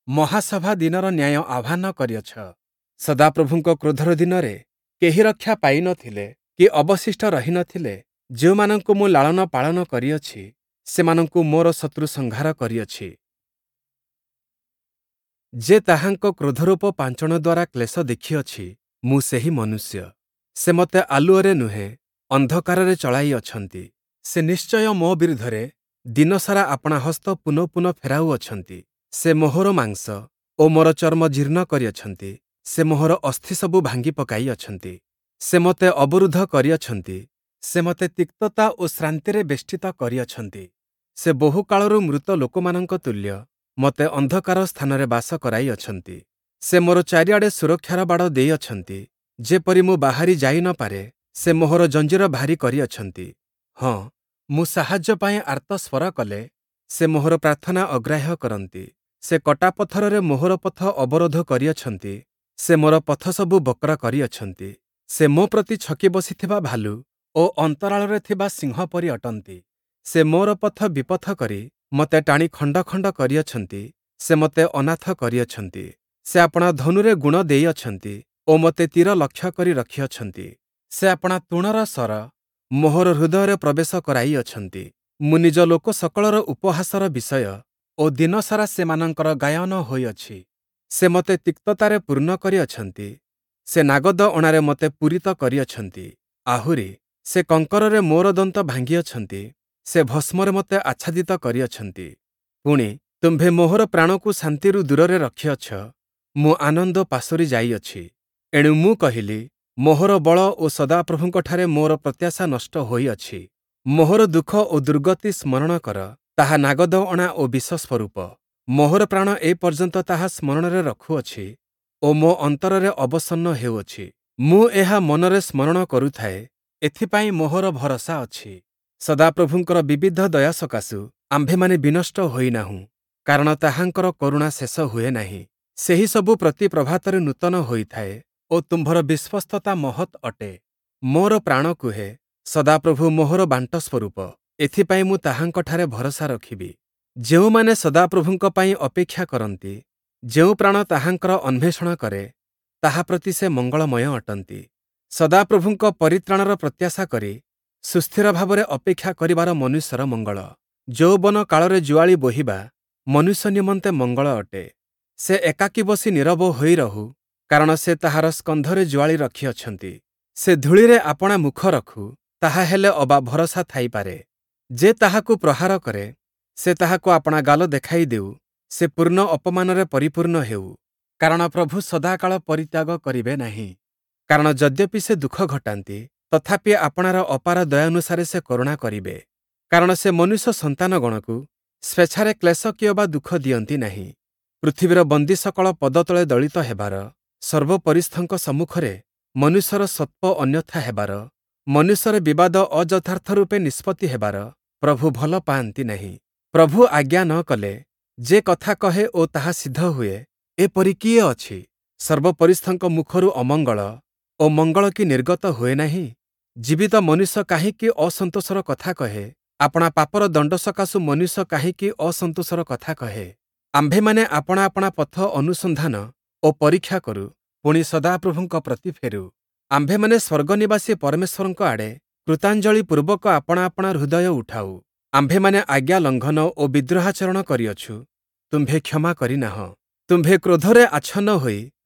ମହାସଭା ଦିନର ନ୍ୟାୟ ଆହ୍ୱାନ କରିଅଛ। ସଦାପ୍ରଭୁଙ୍କ କ୍ରୋଧର ଦିନରେ କେହି ରକ୍ଷା ପାଇ ନ ଥିଲେ କି ଅବଶିଷ୍ଟ ରହି ନ ଥିଲେ। ଯେଉଁମାନଙ୍କୁ ମୁଁ ଲାଳନ ପାଳନ କରିଅଛି, ସେମାନଙ୍କୁ ମୋର ଶତ୍ରୁ ସଂହାର କରିଅଛି। ଯେ ତାହାଙ୍କ କ୍ରୋଧରୂପ ପାଞ୍ଚଣ ଦ୍ୱାରା କ୍ଲେଶ ଦେଖିଅଛି, ମୁଁ ସେହି ମନୁଷ୍ୟ। ସେ ମୋତେ ଆଲୁଅରେ ନୁହେଁ, ଅନ୍ଧକାରରେ ଚଳାଇଅଛନ୍ତି। ସେ ନିଶ୍ଚୟ ମୋ ବିରୁଦ୍ଧରେ ଦିନସାରା ଆପଣା ହସ୍ତ ପୁନଃ ପୁନଃ ଫେରାଉଅଛନ୍ତି। ସେ ମୋହର ମାଂସ ଓ ମୋର ଚର୍ମ ଜୀର୍ଣ୍ଣ କରିଅଛନ୍ତି, ସେ ମୋହର ଅସ୍ଥିସବୁ ଭାଙ୍ଗି ପକାଇଅଛନ୍ତି। ସେ ମୋତେ ଅବରୁଦ୍ଧ କରିଅଛନ୍ତି, ସେ ମୋତେ ତିକ୍ତତା ଓ ଶ୍ରାନ୍ତିରେ ବେଷ୍ଟିତ କରିଅଛନ୍ତି। ସେ ବହୁକାଳରୁ ମୃତ ଲୋକମାନଙ୍କ ତୁଲ୍ୟ ମୋତେ ଅନ୍ଧକାର ସ୍ଥାନରେ ବାସ କରାଇଅଛନ୍ତି। ସେ ମୋର ଚାରିଆଡ଼େ ସୁରକ୍ଷାର ବାଡ଼ ଦେଇଅଛନ୍ତି, ଯେପରି ମୁଁ ବାହାରି ଯାଇ ନ ପାରେ। ସେ ମୋହର ଜଞ୍ଜିର ଭାରୀ କରିଅଛନ୍ତି। ହଁ, ମୁଁ ସାହାଯ୍ୟ ପାଇଁ ଆର୍ତ୍ତସ୍ୱର କଲେ, ସେ ମୋହର ପ୍ରାର୍ଥନା ଅଗ୍ରାହ୍ୟ କରନ୍ତି। ସେ କଟାପଥରରେ ମୋହର ପଥ ଅବରୋଧ କରିଅଛନ୍ତି, ସେ ମୋର ପଥସବୁ ବକ୍ର କରିଅଛନ୍ତି। ସେ ମୋ ପ୍ରତି ଛକି ବସିଥିବା ଭାଲୁ ଓ ଅନ୍ତରାଳରେ ଥିବା ସିଂହ ପରି ଅଟନ୍ତି। ସେ ମୋର ପଥ ବିପଥ କରି ମୋତେ ଟାଣି ଖଣ୍ଡ ଖଣ୍ଡ କରିଅଛନ୍ତି, ସେ ମୋତେ ଅନାଥ କରିଅଛନ୍ତି। ସେ ଆପଣା ଧନୁରେ ଗୁଣ ଦେଇଅଛନ୍ତି ଓ ମୋତେ ତୀର ଲକ୍ଷ୍ୟ କରି ରଖିଅଛନ୍ତି। ସେ ଆପଣା ତୂଣର ଶର ମୋହର ହୃଦୟରେ ପ୍ରବେଶ କରାଇଅଛନ୍ତି। ମୁଁ ନିଜ ଲୋକ ସକଳର ଉପହାସର ବିଷୟ ଓ ଦିନସାରା ସେମାନଙ୍କର ଗାୟନ ହୋଇଅଛି। ସେ ମୋତେ ତିକ୍ତତାରେ ପୂର୍ଣ୍ଣ କରିଅଛନ୍ତି, ସେ ନାଗଦ ଅଣାରେ ମୋତେ ପୂରିତ କରିଅଛନ୍ତି। ଆହୁରି, ସେ କଙ୍କରରେ ମୋର ଦନ୍ତ ଭାଙ୍ଗିଅଛନ୍ତି, ସେ ଭସ୍ମରେ ମୋତେ ଆଚ୍ଛାଦିତ କରିଅଛନ୍ତି। ପୁଣି, ତୁମ୍ଭେ ମୋହର ପ୍ରାଣକୁ ଶାନ୍ତିରୁ ଦୂରରେ ରଖିଅଛ, ମୁଁ ଆନନ୍ଦ ପାଶୋରି ଯାଇଅଛି। ଏଣୁ ମୁଁ କହିଲି, ମୋହର ବଳ ଓ ସଦାପ୍ରଭୁଙ୍କଠାରେ ମୋର ପ୍ରତ୍ୟାଶା ନଷ୍ଟ ହୋଇଅଛି। ମୋହର ଦୁଃଖ ଓ ଦୁର୍ଗତି ସ୍ମରଣ କର, ତାହା ନାଗଦ ଅଣା ଓ ବିଷ ସ୍ୱରୂପ। ମୋହର ପ୍ରାଣ ଏ ପର୍ଯ୍ୟନ୍ତ ତାହା ସ୍ମରଣରେ ରଖୁଅଛି ଓ ମୋ ଅନ୍ତରରେ ଅବସନ୍ନ ହେଉଅଛି। ମୁଁ ଏହା ମନରେ ସ୍ମରଣ କରୁଥାଏ, ଏଥିପାଇଁ ମୋହର ଭରସା ଅଛି। ସଦାପ୍ରଭୁଙ୍କର ବିବିଧ ଦୟା ସକାଶୁ ଆମ୍ଭେମାନେ ବିନଷ୍ଟ ହୋଇନାହୁଁ, କାରଣ ତାହାଙ୍କର କରୁଣା ଶେଷ ହୁଏ ନାହିଁ। ସେହିସବୁ ପ୍ରତି ପ୍ରଭାତରେ ନୂତନ ହୋଇଥାଏ ଓ ତୁମ୍ଭର ବିଶ୍ୱସ୍ତତା ମହତ୍ ଅଟେ। ମୋର ପ୍ରାଣ କୁହେ, ସଦାପ୍ରଭୁ ମୋହର ବାଣ୍ଟ ସ୍ୱରୂପ, ଏଥିପାଇଁ ମୁଁ ତାହାଙ୍କଠାରେ ଭରସା ରଖିବି। ଯେଉଁମାନେ ସଦାପ୍ରଭୁଙ୍କ ପାଇଁ ଅପେକ୍ଷା କରନ୍ତି, ଯେଉଁ ପ୍ରାଣ ତାହାଙ୍କର ଅନ୍ୱେଷଣ କରେ, ତାହା ପ୍ରତି ସେ ମଙ୍ଗଳମୟ ଅଟନ୍ତି। ସଦାପ୍ରଭୁଙ୍କ ପରିତ୍ରାଣର ପ୍ରତ୍ୟାଶା କରି ସୁସ୍ଥିର ଭାବରେ ଅପେକ୍ଷା କରିବାର ମନୁଷ୍ୟର ମଙ୍ଗଳ। ଯୌବନ କାଳରେ ଜୁଆଳି ବୋହିବା ମନୁଷ୍ୟ ନିମନ୍ତେ ମଙ୍ଗଳ ଅଟେ। ସେ ଏକାକୀ ବସି ନୀରବ ହୋଇ ରହୁ, କାରଣ ସେ ତାହାର ସ୍କନ୍ଧରେ ଜୁଆଳି ରଖିଅଛନ୍ତି। ସେ ଧୂଳିରେ ଆପଣା ମୁଖ ରଖୁ, ତାହା ହେଲେ ଅବା ଭରସା ଥାଇପାରେ। ଯେ ତାହାକୁ ପ୍ରହାର କରେ, ସେ ତାହାକୁ ଆପଣା ଗାଲ ଦେଖାଇ ଦେଉ, ସେ ପୂର୍ଣ୍ଣ ଅପମାନରେ ପରିପୂର୍ଣ୍ଣ ହେଉ। କାରଣ ପ୍ରଭୁ ସଦାକାଳ ପରିତ୍ୟାଗ କରିବେ ନାହିଁ। କାରଣ ଯଦ୍ୟପି ସେ ଦୁଃଖ ଘଟାନ୍ତି, ତଥାପି ଆପଣାର ଅପାର ଦୟାନୁସାରେ ସେ କରୁଣା କରିବେ। କାରଣ ସେ ମନୁଷ୍ୟ ସନ୍ତାନଗଣକୁ ସ୍ୱେଚ୍ଛାରେ କ୍ଲେଶ କିଅବା ଦୁଃଖ ଦିଅନ୍ତି ନାହିଁ। ପୃଥିବୀର ବନ୍ଦୀ ସକଳ ପଦତଳେ ଦଳିତ ହେବାର, ସର୍ବୋପରିସ୍ଥଙ୍କ ସମ୍ମୁଖରେ ମନୁଷ୍ୟର ସତ୍ତ୍ୱ ଅନ୍ୟଥା ହେବାର, ମନୁଷ୍ୟର ବିବାଦ ଅଯଥାର୍ଥ ରୂପେ ନିଷ୍ପତ୍ତି ହେବାର ପ୍ରଭୁ ଭଲ ପାଆନ୍ତି ନାହିଁ। ପ୍ରଭୁ ଆଜ୍ଞା ନ କଲେ ଯେ କଥା କହେ ଓ ତାହା ସିଦ୍ଧ ହୁଏ, ଏପରି କିଏ ଅଛି? ସର୍ବୋପରିସ୍ଥଙ୍କ ମୁଖରୁ ଅମଙ୍ଗଳ ଓ ମଙ୍ଗଳ କି ନିର୍ଗତ ହୁଏ ନାହିଁ? ଜୀବିତ ମନୁଷ୍ୟ କାହିଁକି ଅସନ୍ତୋଷର କଥା କହେ? ଆପଣା ପାପର ଦଣ୍ଡ ସକାଶୁ ମନୁଷ୍ୟ କାହିଁକି ଅସନ୍ତୋଷର କଥା କହେ? ଆମ୍ଭେମାନେ ଆପଣା ଆପଣା ପଥ ଅନୁସନ୍ଧାନ ଓ ପରୀକ୍ଷା କରୁ, ପୁଣି ସଦାପ୍ରଭୁଙ୍କ ପ୍ରତି ଫେରୁ। ଆମ୍ଭେମାନେ ସ୍ୱର୍ଗନିବାସୀ ପରମେଶ୍ୱରଙ୍କ ଆଡ଼େ କୃତାଞ୍ଜଳି ପୂର୍ବକ ଆପଣା ଆପଣା ହୃଦୟ ଉଠାଉ। ଆମ୍ଭେମାନେ ଆଜ୍ଞା ଲଙ୍ଘନ ଓ ବିଦ୍ରୋହାଚରଣ କରିଅଛୁ, ତୁମ୍ଭେ କ୍ଷମା କରିନାହଁ। ତୁମ୍ଭେ କ୍ରୋଧରେ ଆଚ୍ଛନ୍ନ ହୋଇ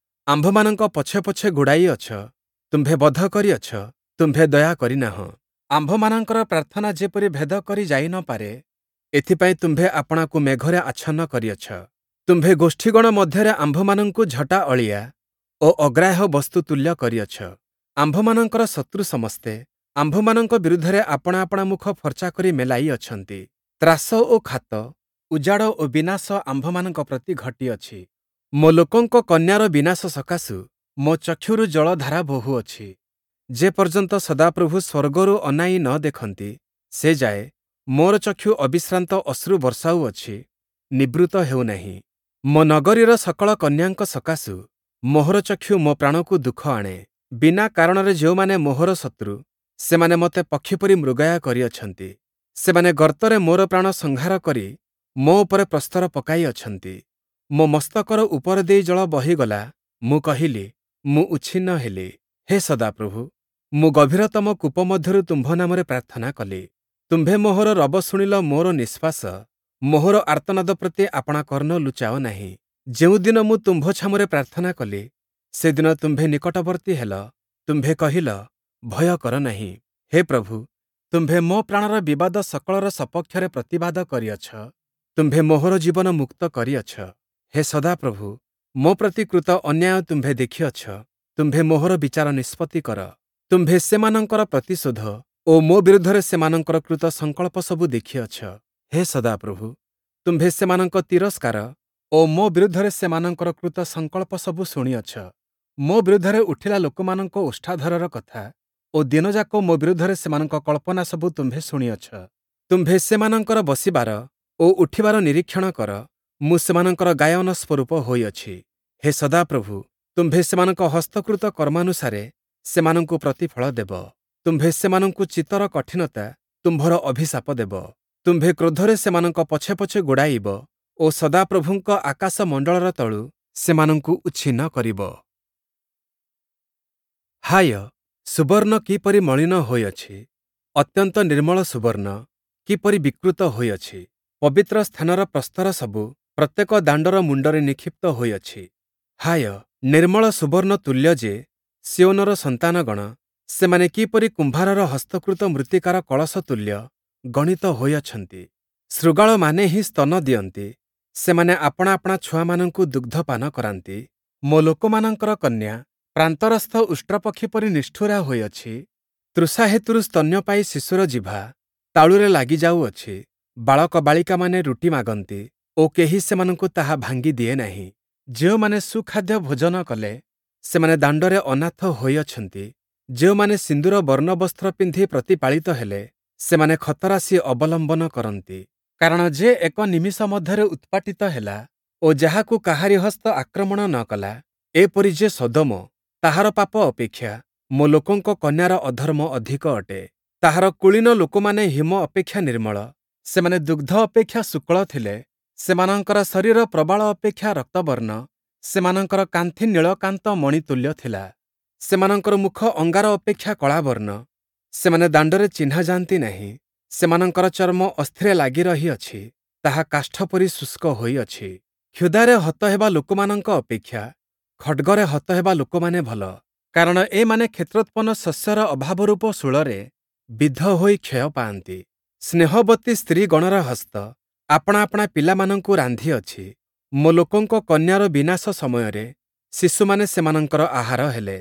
ଆମ୍ଭମାନଙ୍କ ପଛେ ପଛେ ଗୋଡ଼ାଇଅଛ, ତୁମ୍ଭେ ବଧ କରିଅଛ, ତୁମ୍ଭେ ଦୟା କରିନାହଁ। ଆମ୍ଭମାନଙ୍କର ପ୍ରାର୍ଥନା ଯେପରି ଭେଦ କରି ଯାଇ ନ ପାରେ, ଏଥିପାଇଁ ତୁମ୍ଭେ ଆପଣାକୁ ମେଘରେ ଆଚ୍ଛନ୍ନ କରିଅଛ। ତୁମ୍ଭେ ଗୋଷ୍ଠୀଗଣ ମଧ୍ୟରେ ଆମ୍ଭମାନଙ୍କୁ ଝଟା ଅଳିଆ ଓ ଅଗ୍ରାହ୍ୟ ବସ୍ତୁ ତୁଲ୍ୟ କରିଅଛ। ଆମ୍ଭମାନଙ୍କର ଶତ୍ରୁ ସମସ୍ତେ ଆମ୍ଭମାନଙ୍କ ବିରୁଦ୍ଧରେ ଆପଣା ଆପଣା ମୁଖ ଫର୍ଚ୍ଚା କରି ମେଲାଇ ଅଛନ୍ତି। ତ୍ରାସ ଓ ଖାତ, ଉଜାଡ଼ ଓ ବିନାଶ ଆମ୍ଭମାନଙ୍କ ପ୍ରତି ଘଟିଅଛି। ମୋ ଲୋକଙ୍କ କନ୍ୟାର ବିନାଶ ସକାଶୁ ମୋ ଚକ୍ଷୁରୁ ଜଳଧାରା ବୋହୁଅଛି। ଯେ ପର୍ଯ୍ୟନ୍ତ ସଦାପ୍ରଭୁ ସ୍ୱର୍ଗରୁ ଅନାଇ ନ ଦେଖନ୍ତି, ସେ ଯାଏ ମୋର ଚକ୍ଷୁ ଅବିଶ୍ରାନ୍ତ ଅଶ୍ରୁ ବର୍ଷାଉଅଛି, ନିବୃତ୍ତ ହେଉନାହିଁ। ମୋ ନଗରୀର ସକଳ କନ୍ୟାଙ୍କ ସକାଶୁ ମୋହର ଚକ୍ଷୁ ମୋ ପ୍ରାଣକୁ ଦୁଃଖ ଆଣେ। ବିନା କାରଣରେ ଯେଉଁମାନେ ମୋହର ଶତ୍ରୁ, ସେମାନେ ମୋତେ ପକ୍ଷୀ ପରି ମୃଗୟା କରିଅଛନ୍ତି। ସେମାନେ ଗର୍ତ୍ତରେ ମୋର ପ୍ରାଣ ସଂହାର କରି ମୋ ଉପରେ ପ୍ରସ୍ତର ପକାଇ ଅଛନ୍ତି। ମୋ ମସ୍ତକର ଉପର ଦେଇ ଜଳ ବହିଗଲା, ମୁଁ କହିଲି, ମୁଁ ଉଚ୍ଛିନ୍ନ ହେଲି। ହେ ସଦାପ୍ରଭୁ, ମୁଁ ଗଭୀରତମ କୂପ ମଧ୍ୟରୁ ତୁମ୍ଭ ନାମରେ ପ୍ରାର୍ଥନା କଲି। ତୁମ୍ଭେ ମୋହର ରବ ଶୁଣିଲ ମୋର ନିଶ୍ୱାସ, ମୋହର ଆର୍ତ୍ତନାଦ ପ୍ରତି ଆପଣା କର୍ଣ୍ଣ ଲୁଚାଅ ନାହିଁ। ଯେଉଁଦିନ ମୁଁ ତୁମ୍ଭ ଛାମୁରେ ପ୍ରାର୍ଥନା କଲି, ସେଦିନ ତୁମ୍ଭେ ନିକଟବର୍ତ୍ତୀ ହେଲ। ତୁମ୍ଭେ କହିଲ, ଭୟ କର ନାହିଁ। ହେ ପ୍ରଭୁ, ତୁମ୍ଭେ ମୋ ପ୍ରାଣର ବିବାଦ ସକଳର ସପକ୍ଷରେ ପ୍ରତିବାଦ କରିଅଛ। ତୁମ୍ଭେ ମୋହର ଜୀବନ ମୁକ୍ତ କରିଅଛ। ହେ ସଦାପ୍ରଭୁ, ମୋ ପ୍ରତି କୃତ ଅନ୍ୟାୟ ତୁମ୍ଭେ ଦେଖିଅଛ। ତୁମ୍ଭେ ମୋହର ବିଚାର ନିଷ୍ପତ୍ତି କର। ତୁମ୍ଭେ ସେମାନଙ୍କର ପ୍ରତିଶୋଧ ଓ ମୋ ବିରୁଦ୍ଧରେ ସେମାନଙ୍କର କୃତ ସଂକଳ୍ପ ସବୁ ଦେଖିଅଛ। ହେ ସଦାପ୍ରଭୁ, ତୁମ୍ଭେ ସେମାନଙ୍କ ତିରସ୍କାର ଓ ମୋ ବିରୁଦ୍ଧରେ ସେମାନଙ୍କର କୃତ ସଂକଳ୍ପ ସବୁ ଶୁଣିଅଛ। ମୋ ବିରୁଦ୍ଧରେ ଉଠିଲା ଲୋକମାନଙ୍କ ଓଷ୍ଠାଧରର କଥା ଓ ଦିନଯାକ ମୋ ବିରୁଦ୍ଧରେ ସେମାନଙ୍କ କଳ୍ପନା ସବୁ ତୁମ୍ଭେ ଶୁଣିଅଛ। ତୁମ୍ଭେ ସେମାନଙ୍କର ବସିବାର ଓ ଉଠିବାର ନିରୀକ୍ଷଣ କର, ମୁଁ ସେମାନଙ୍କର ଗାୟନ ସ୍ୱରୂପ ହୋଇଅଛି। ହେ ସଦାପ୍ରଭୁ, ତୁମ୍ଭେ ସେମାନଙ୍କ ହସ୍ତକୃତ କର୍ମାନୁସାରେ ସେମାନଙ୍କୁ ପ୍ରତିଫଳ ଦେବ। ତୁମ୍ଭେ ସେମାନଙ୍କୁ ଚିତ୍ତର କଠିନତା ତୁମ୍ଭର ଅଭିଶାପ ଦେବ। ତୁମ୍ଭେ କ୍ରୋଧରେ ସେମାନଙ୍କ ପଛେ ପଛେ ଗୋଡ଼ାଇବ ଓ ସଦାପ୍ରଭୁଙ୍କ ଆକାଶମଣ୍ଡଳର ତଳୁ ସେମାନଙ୍କୁ ଉଚ୍ଛିନ୍ନ କରିବ। ହାୟ, ସୁବର୍ଣ୍ଣ କିପରି ମଳିନ ହୋଇଅଛି! ଅତ୍ୟନ୍ତ ନିର୍ମଳ ସୁବର୍ଣ୍ଣ କିପରି ବିକୃତ ହୋଇଅଛି! ପବିତ୍ର ସ୍ଥାନର ପ୍ରସ୍ତର ସବୁ ପ୍ରତ୍ୟେକ ଦାଣ୍ଡର ମୁଣ୍ଡରେ ନିକ୍ଷିପ୍ତ ହୋଇଅଛି। ହାୟ, ନିର୍ମଳ ସୁବର୍ଣ୍ଣ ତୁଲ୍ୟ ଯେ ସିୟୋନର ସନ୍ତାନଗଣ, ସେମାନେ କିପରି କୁମ୍ଭାରର ହସ୍ତକୃତ ମୃତ୍ତିକାର କଳସ ତୁଲ୍ୟ ଗଣିତ ହୋଇଅଛନ୍ତି! ଶୃଗାଳମାନେ ହିଁ ସ୍ତନ ଦିଅନ୍ତି, ସେମାନେ ଆପଣା ଆପଣା ଛୁଆମାନଙ୍କୁ ଦୁଗ୍ଧପାନ କରାନ୍ତି। ମୋ ଲୋକମାନଙ୍କର କନ୍ୟା ପ୍ରାନ୍ତରସ୍ଥ ଉଷ୍ଟ୍ରପକ୍ଷୀ ପରି ନିଷ୍ଠୁରା ହୋଇଅଛି। ତୃଷା ହେତୁରୁ ସ୍ତନ୍ୟପାୟୀ ଶିଶୁର ଜିଭା ତାଳୁରେ ଲାଗି ଯାଉଅଛି। ବାଳକ ବାଳିକାମାନେ ରୁଟି ମାଗନ୍ତି ଓ କେହି ସେମାନଙ୍କୁ ତାହା ଭାଙ୍ଗି ଦିଏ ନାହିଁ। ଯେଉଁମାନେ ସୁଖାଦ୍ୟ ଭୋଜନ କଲେ, ସେମାନେ ଦାଣ୍ଡରେ ଅନାଥ ହୋଇଅଛନ୍ତି। ଯେଉଁମାନେ ସିନ୍ଦୂର ବର୍ଣ୍ଣ ବସ୍ତ୍ର ପିନ୍ଧି ପ୍ରତିପାଳିତ ହେଲେ, ସେମାନେ ଖତରାଶି ଅବଲମ୍ବନ କରନ୍ତି। କାରଣ ଯେ ଏକ ନିମିଷ ମଧ୍ୟରେ ଉତ୍ପାଟିତ ହେଲା ଓ ଯାହାକୁ କାହାରି ହସ୍ତ ଆକ୍ରମଣ ନ କଲା, ଏପରି ଯେ ସଦୋମ, ତାହାର ପାପ ଅପେକ୍ଷା ମୋ ଲୋକଙ୍କ କନ୍ୟାର ଅଧର୍ମ ଅଧିକ ଅଟେ। ତାହାର କୁଳୀନ ଲୋକମାନେ ହିମ ଅପେକ୍ଷା ନିର୍ମଳ, ସେମାନେ ଦୁଗ୍ଧ ଅପେକ୍ଷା ଶୁକ୍ଳ ଥିଲେ। ସେମାନଙ୍କର ଶରୀର ପ୍ରବାଳ ଅପେକ୍ଷା ରକ୍ତବର୍ଣ୍ଣ, ସେମାନଙ୍କର କାନ୍ଥି ନୀଳକାନ୍ତ ମଣି ତୁଲ୍ୟ ଥିଲା। ସେମାନଙ୍କର ମୁଖ ଅଙ୍ଗାର ଅପେକ୍ଷା କଳାବର୍ଣ୍ଣ, ସେମାନେ ଦାଣ୍ଡରେ ଚିହ୍ନା ଯାଆନ୍ତି ନାହିଁ। ସେମାନଙ୍କର ଚର୍ମ ଅସ୍ଥିରେ ଲାଗି ରହିଅଛି, ତାହା କାଷ୍ଠ ପରି ଶୁଷ୍କ ହୋଇଅଛି। କ୍ଷୁଧାରେ ହତ ହେବା ଲୋକମାନଙ୍କ ଅପେକ୍ଷା ଖଡ଼୍ଗରେ ହତ ହେବା ଲୋକମାନେ ଭଲ, କାରଣ ଏମାନେ କ୍ଷେତ୍ରୋତ୍ପନ୍ନ ଶସ୍ୟର ଅଭାବରୂପ ଶୂଳରେ ବିଦ୍ଧ ହୋଇ କ୍ଷୟ ପାଆନ୍ତି। ସ୍ନେହବତୀ ସ୍ତ୍ରୀଗଣର ହସ୍ତ ଆପଣା ଆପଣା ପିଲାମାନଙ୍କୁ ରାନ୍ଧିଅଛି। ମୋ ଲୋକଙ୍କ କନ୍ୟାର ବିନାଶ ସମୟରେ ଶିଶୁମାନେ ସେମାନଙ୍କର ଆହାର ହେଲେ।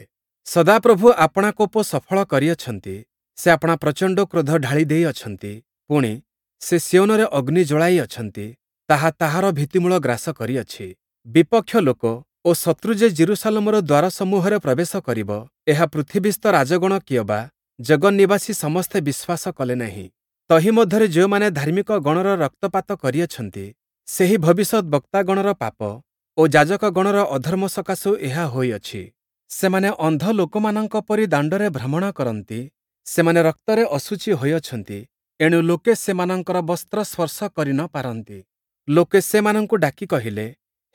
ସଦାପ୍ରଭୁ ଆପଣା କୋପ ସଫଳ କରିଅଛନ୍ତି, ସେ ଆପଣା ପ୍ରଚଣ୍ଡ କ୍ରୋଧ ଢାଳି ଦେଇଅଛନ୍ତି। ପୁଣି, ସେ ସିୟୋନରେ ଅଗ୍ନି ଜ୍ଵଳାଇ ଅଛନ୍ତି, ତାହା ତାହାର ଭିତ୍ତିମୂଳ ଗ୍ରାସ କରିଅଛି। ବିପକ୍ଷ ଲୋକ ଓ ଶତ୍ରୁ ଯେ ଯିରୂଶାଲମର ଦ୍ୱାରସମୂହରେ ପ୍ରବେଶ କରିବ, ଏହା ପୃଥିବୀସ୍ଥ ରାଜଗଣ କିଅବା ଜଗନ୍ନିବାସୀ ସମସ୍ତେ ବିଶ୍ୱାସ କଲେ ନାହିଁ। ତହିଁ ମଧ୍ୟରେ ଯେଉଁମାନେ ଧାର୍ମିକ ଗଣର ରକ୍ତପାତ କରିଅଛନ୍ତି, ସେହି ଭବିଷ୍ୟଦ୍‌ବକ୍ତାଗଣର ପାପ ଓ ଯାଜକଗଣର ଅଧର୍ମ ସକାଶୁ ଏହା ହୋଇଅଛି। ସେମାନେ ଅନ୍ଧ ଲୋକମାନଙ୍କ ପରି ଦାଣ୍ଡରେ ଭ୍ରମଣ କରନ୍ତି, ସେମାନେ ରକ୍ତରେ ଅଶୁଚି ହୋଇଅଛନ୍ତି, ଏଣୁ ଲୋକେ ସେମାନଙ୍କର ବସ୍ତ୍ର ସ୍ପର୍ଶ କରି ନ ପାରନ୍ତି। ଲୋକେ ସେମାନଙ୍କୁ ଡାକି କହିଲେ,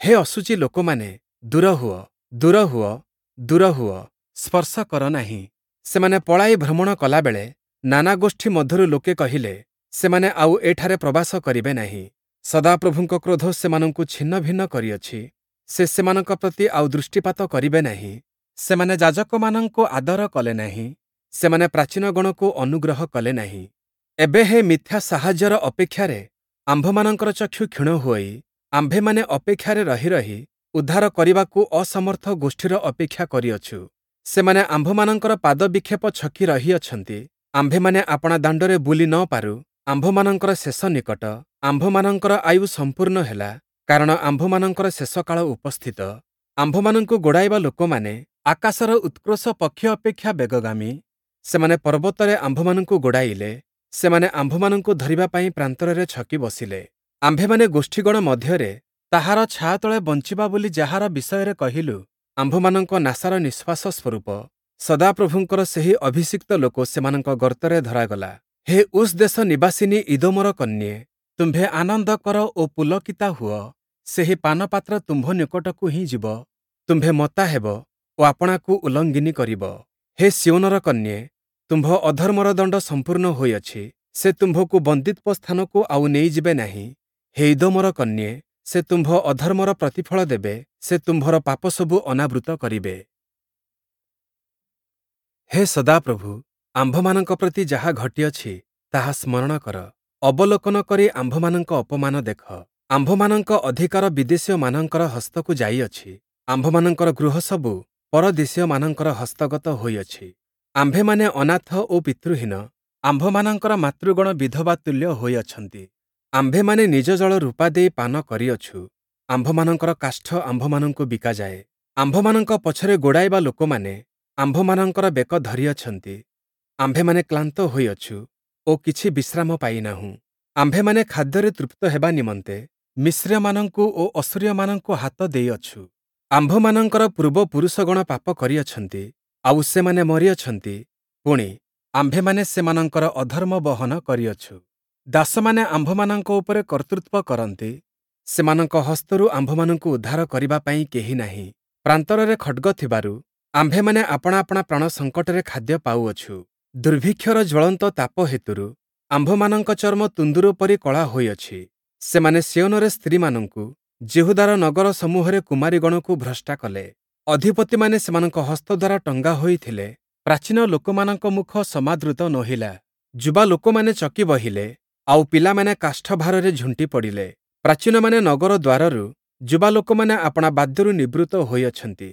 ହେ ଅଶୁଚି ଲୋକମାନେ, ଦୂର ହୁଅ, ଦୂର ହୁଅ, ଦୂର ହୁଅ, ସ୍ପର୍ଶ କର ନାହିଁ। ସେମାନେ ପଳାଇ ଭ୍ରମଣ କଲାବେଳେ ନାନା ଗୋଷ୍ଠୀ ମଧ୍ୟରୁ ଲୋକେ କହିଲେ, ସେମାନେ ଆଉ ଏଠାରେ ପ୍ରବାସ କରିବେ ନାହିଁ। ସଦାପ୍ରଭୁଙ୍କ କ୍ରୋଧ ସେମାନଙ୍କୁ ଛିନ୍ନଭିନ୍ନ କରିଅଛି, ସେ ସେମାନଙ୍କ ପ୍ରତି ଆଉ ଦୃଷ୍ଟିପାତ କରିବେ ନାହିଁ। ସେମାନେ ଯାଜକମାନଙ୍କୁ ଆଦର କଲେ ନାହିଁ, ସେମାନେ ପ୍ରାଚୀନଗଣକୁ ଅନୁଗ୍ରହ କଲେ ନାହିଁ। ଏବେ ହେ ମିଥ୍ୟା ସାହାଯ୍ୟର ଅପେକ୍ଷାରେ ଆମ୍ଭମାନଙ୍କର ଚକ୍ଷୁ କ୍ଷୀଣ ହୋଇ ଆମ୍ଭେମାନେ ଅପେକ୍ଷାରେ ରହି ରହି ଉଦ୍ଧାର କରିବାକୁ ଅସମର୍ଥ ଗୋଷ୍ଠୀର ଅପେକ୍ଷା କରିଅଛୁ। ସେମାନେ ଆମ୍ଭମାନଙ୍କର ପାଦବିକ୍ଷେପ ଛକି ରହିଅଛନ୍ତି, ଆମ୍ଭେମାନେ ଆପଣା ଦାଣ୍ଡରେ ବୁଲି ନ ପାରୁ। ଆମ୍ଭମାନଙ୍କର ଶେଷ ନିକଟ, ଆମ୍ଭମାନଙ୍କର ଆୟୁ ସମ୍ପୂର୍ଣ୍ଣ ହେଲା, କାରଣ ଆମ୍ଭମାନଙ୍କର ଶେଷକାଳ ଉପସ୍ଥିତ। ଆମ୍ଭମାନଙ୍କୁ ଗୋଡ଼ାଇବା ଲୋକମାନେ ଆକାଶର ଉତ୍କ୍ରୋଶ ପକ୍ଷୀ ଅପେକ୍ଷା ବେଗଗାମୀ, ସେମାନେ ପର୍ବତରେ ଆମ୍ଭମାନଙ୍କୁ ଗୋଡ଼ାଇଲେ, ସେମାନେ ଆମ୍ଭମାନଙ୍କୁ ଧରିବା ପାଇଁ ପ୍ରାନ୍ତରରେ ଛକି ବସିଲେ। ଆମ୍ଭେମାନେ ଗୋଷ୍ଠୀଗଣ ମଧ୍ୟରେ ତାହାର ଛାୟା ତଳେ ବଞ୍ଚିବା ବୋଲି ଯାହାର ବିଷୟରେ କହିଲୁ, ଆମ୍ଭମାନଙ୍କ ନାସାର ନିଃଶ୍ୱାସ ସ୍ୱରୂପ ସଦାପ୍ରଭୁଙ୍କର ସେହି ଅଭିଷିକ୍ତ ଲୋକ ସେମାନଙ୍କ ଗର୍ତ୍ତରେ ଧରାଗଲା। ହେ ଉସ୍ ଦେଶ ନିବାସିନୀ ଇଦୋମର କନ୍ୟେ, ତୁମ୍ଭେ ଆନନ୍ଦ କର ଓ ପୁଲକିତା ହୁଅ, ସେହି ପାନପାତ୍ର ତୁମ୍ଭ ନିକଟକୁ ହିଁ ଯିବ, ତୁମ୍ଭେ ମତ୍ତା ହେବ ଓ ଆପଣାକୁ ଉଲ୍ଲଙ୍ଗିନୀ କରିବ। ହେ ସିୟୋନର କନ୍ୟେ, ତୁମ୍ଭ ଅଧର୍ମର ଦଣ୍ଡ ସମ୍ପୂର୍ଣ୍ଣ ହୋଇଅଛି, ସେ ତୁମ୍ଭକୁ ବନ୍ଦୀତ୍ୱ ସ୍ଥାନକୁ ଆଉ ନେଇଯିବେ ନାହିଁ। ହେ ଇଦୋମର କନ୍ୟେ, ସେ ତୁମ୍ଭ ଅଧର୍ମର ପ୍ରତିଫଳ ଦେବେ, ସେ ତୁମ୍ଭର ପାପସବୁ ଅନାବୃତ କରିବେ। ହେ ସଦାପ୍ରଭୁ, ଆମ୍ଭମାନଙ୍କ ପ୍ରତି ଯାହା ଘଟିଅଛି ତାହା ସ୍ମରଣ କର, ଅବଲୋକନ କରି ଆମ୍ଭମାନଙ୍କ ଅପମାନ ଦେଖ। ଆମ୍ଭମାନଙ୍କ ଅଧିକାର ବିଦେଶୀୟମାନଙ୍କର ହସ୍ତକୁ ଯାଇଅଛି, ଆମ୍ଭମାନଙ୍କର ଗୃହସବୁ ପରଦେଶୀୟମାନଙ୍କର ହସ୍ତଗତ ହୋଇଅଛି। ଆମ୍ଭେମାନେ ଅନାଥ ଓ ପିତୃହୀନ, ଆମ୍ଭମାନଙ୍କର ମାତୃଗଣ ବିଧବା ତୁଲ୍ୟ ହୋଇଅଛନ୍ତି। ଆମ୍ଭେମାନେ ନିଜ ଜଳ ରୂପା ଦେଇ ପାନ କରିଅଛୁ, ଆମ୍ଭମାନଙ୍କର କାଷ୍ଠ ଆମ୍ଭମାନଙ୍କୁ ବିକାଯାଏ। ଆମ୍ଭମାନଙ୍କ ପଛରେ ଗୋଡ଼ାଇବା ଲୋକମାନେ ଆମ୍ଭମାନଙ୍କର ବେକ ଧରିଅଛନ୍ତି, ଆମ୍ଭେମାନେ କ୍ଳାନ୍ତ ହୋଇଅଛୁ ଓ କିଛି ବିଶ୍ରାମ ପାଇନାହୁଁ। ଆମ୍ଭେମାନେ ଖାଦ୍ୟରେ ତୃପ୍ତ ହେବା ନିମନ୍ତେ ମିସ୍ରୀୟମାନଙ୍କୁ ଓ ଅଶୂରୀୟମାନଙ୍କୁ ହାତ ଦେଇଅଛୁ। ଆମ୍ଭମାନଙ୍କର ପୂର୍ବପୁରୁଷଗଣ ପାପ କରିଅଛନ୍ତି, ଆଉ ସେମାନେ ମରିଅଛନ୍ତି, ପୁଣି, ଆମ୍ଭେମାନେ ସେମାନଙ୍କର ଅଧର୍ମ ବହନ କରିଅଛୁ। ଦାସମାନେ ଆମ୍ଭମାନଙ୍କ ଉପରେ କର୍ତ୍ତୃତ୍ୱ କରନ୍ତି, ସେମାନଙ୍କ ହସ୍ତରୁ ଆମ୍ଭମାନଙ୍କୁ ଉଦ୍ଧାର କରିବା ପାଇଁ କେହି ନାହିଁ। ପ୍ରାନ୍ତରରେ ଖଡ଼୍ଗ ଥିବାରୁ ଆମ୍ଭେମାନେ ଆପଣା ଆପଣା ପ୍ରାଣ ସଙ୍କଟରେ ଖାଦ୍ୟ ପାଉଅଛୁ। ଦୁର୍ଭିକ୍ଷର ଜ୍ୱଳନ୍ତ ତାପ ହେତୁରୁ ଆମ୍ଭମାନଙ୍କ ଚର୍ମ ତୁନ୍ଦୁର ପରି କଳା ହୋଇଅଛି। ସେମାନେ ସିୟୋନରେ ସ୍ତ୍ରୀମାନଙ୍କୁ, ଯିହୁଦାର ନଗର ସମୂହରେ କୁମାରୀଗଣକୁ ଭ୍ରଷ୍ଟା କଲେ। ଅଧିପତିମାନେ ସେମାନଙ୍କ ହସ୍ତ ଦ୍ୱାରା ଟଙ୍ଗା ହୋଇଥିଲେ, ପ୍ରାଚୀନ ଲୋକମାନଙ୍କ ମୁଖ ସମାଦୃତ ନୋହିଲା। ଯୁବା ଲୋକମାନେ ଚକି ବହିଲେ, ଆଉ ପିଲାମାନେ କାଷ୍ଠଭାରରେ ଝୁଣ୍ଟି ପଡ଼ିଲେ। ପ୍ରାଚୀନମାନେ ନଗର ଦ୍ୱାରରୁ, ଯୁବା ଲୋକମାନେ ଆପଣା ବାଦ୍ୟରୁ ନିବୃତ୍ତ ହୋଇଅଛନ୍ତି।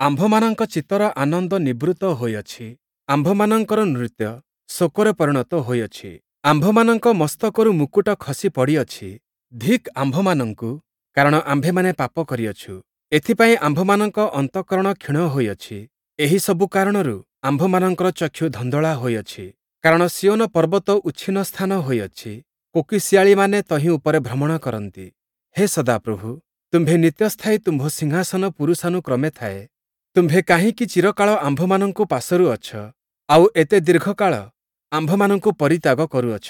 ଆମ୍ଭମାନଙ୍କ ଚିତ୍ତର ଆନନ୍ଦ ନିବୃତ୍ତ ହୋଇଅଛି, ଆମ୍ଭମାନଙ୍କର ନୃତ୍ୟ ଶୋକରେ ପରିଣତ ହୋଇଅଛି। ଆମ୍ଭମାନଙ୍କ ମସ୍ତକରୁ ମୁକୁଟ ଖସି ପଡ଼ିଅଛି। ଧିକ୍ ଆମ୍ଭମାନଙ୍କୁ, କାରଣ ଆମ୍ଭେମାନେ ପାପ କରିଅଛୁ। ଏଥିପାଇଁ ଆମ୍ଭମାନଙ୍କ ଅନ୍ତଃକରଣ କ୍ଷୀଣ ହୋଇଅଛି। ଏହି ସବୁ କାରଣରୁ ଆମ୍ଭମାନଙ୍କର ଚକ୍ଷୁ ଧନ୍ଦଳା ହୋଇଅଛି। କାରଣ ସିୟୋନ ପର୍ବତ ଉଚ୍ଛିନ୍ନ ସ୍ଥାନ ହୋଇଅଛି, କୋକିଶିଆଳିମାନେ ତହିଁ ଉପରେ ଭ୍ରମଣ କରନ୍ତି। ହେ ସଦାପ୍ରଭୁ, ତୁମ୍ଭେ ନିତ୍ୟସ୍ଥାୟୀ, ତୁମ୍ଭ ସିଂହାସନ ପୁରୁଷାନୁକ୍ରମେ ଥାଏ। ତୁମ୍ଭେ କାହିଁକି ଚିରକାଳ ଆମ୍ଭମାନଙ୍କୁ ପାଶୋରୁଅଛ, ଆଉ ଏତେ ଦୀର୍ଘକାଳ ଆମ୍ଭମାନଙ୍କୁ ପରିତ୍ୟାଗ କରୁଅଛ?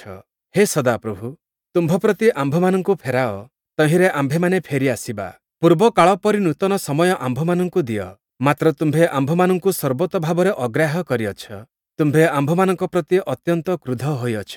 ହେ ସଦାପ୍ରଭୁ, ତୁମ୍ଭ ପ୍ରତି ଆମ୍ଭମାନଙ୍କୁ ଫେରାଅ, ତହିଁରେ ଆମ୍ଭେମାନେ ଫେରି ଆସିବା। ପୂର୍ବକାଳ ପରି ନୂତନ ସମୟ ଆମ୍ଭମାନଙ୍କୁ ଦିଅ। ମାତ୍ର ତୁମ୍ଭେ ଆମ୍ଭମାନଙ୍କୁ ସର୍ବତୋ ଭାବରେ ଅଗ୍ରାହ୍ୟ କରିଅଛ, ତୁମ୍ଭେ ଆମ୍ଭମାନଙ୍କ ପ୍ରତି ଅତ୍ୟନ୍ତ କ୍ରୁଦ୍ଧ ହୋଇଅଛ।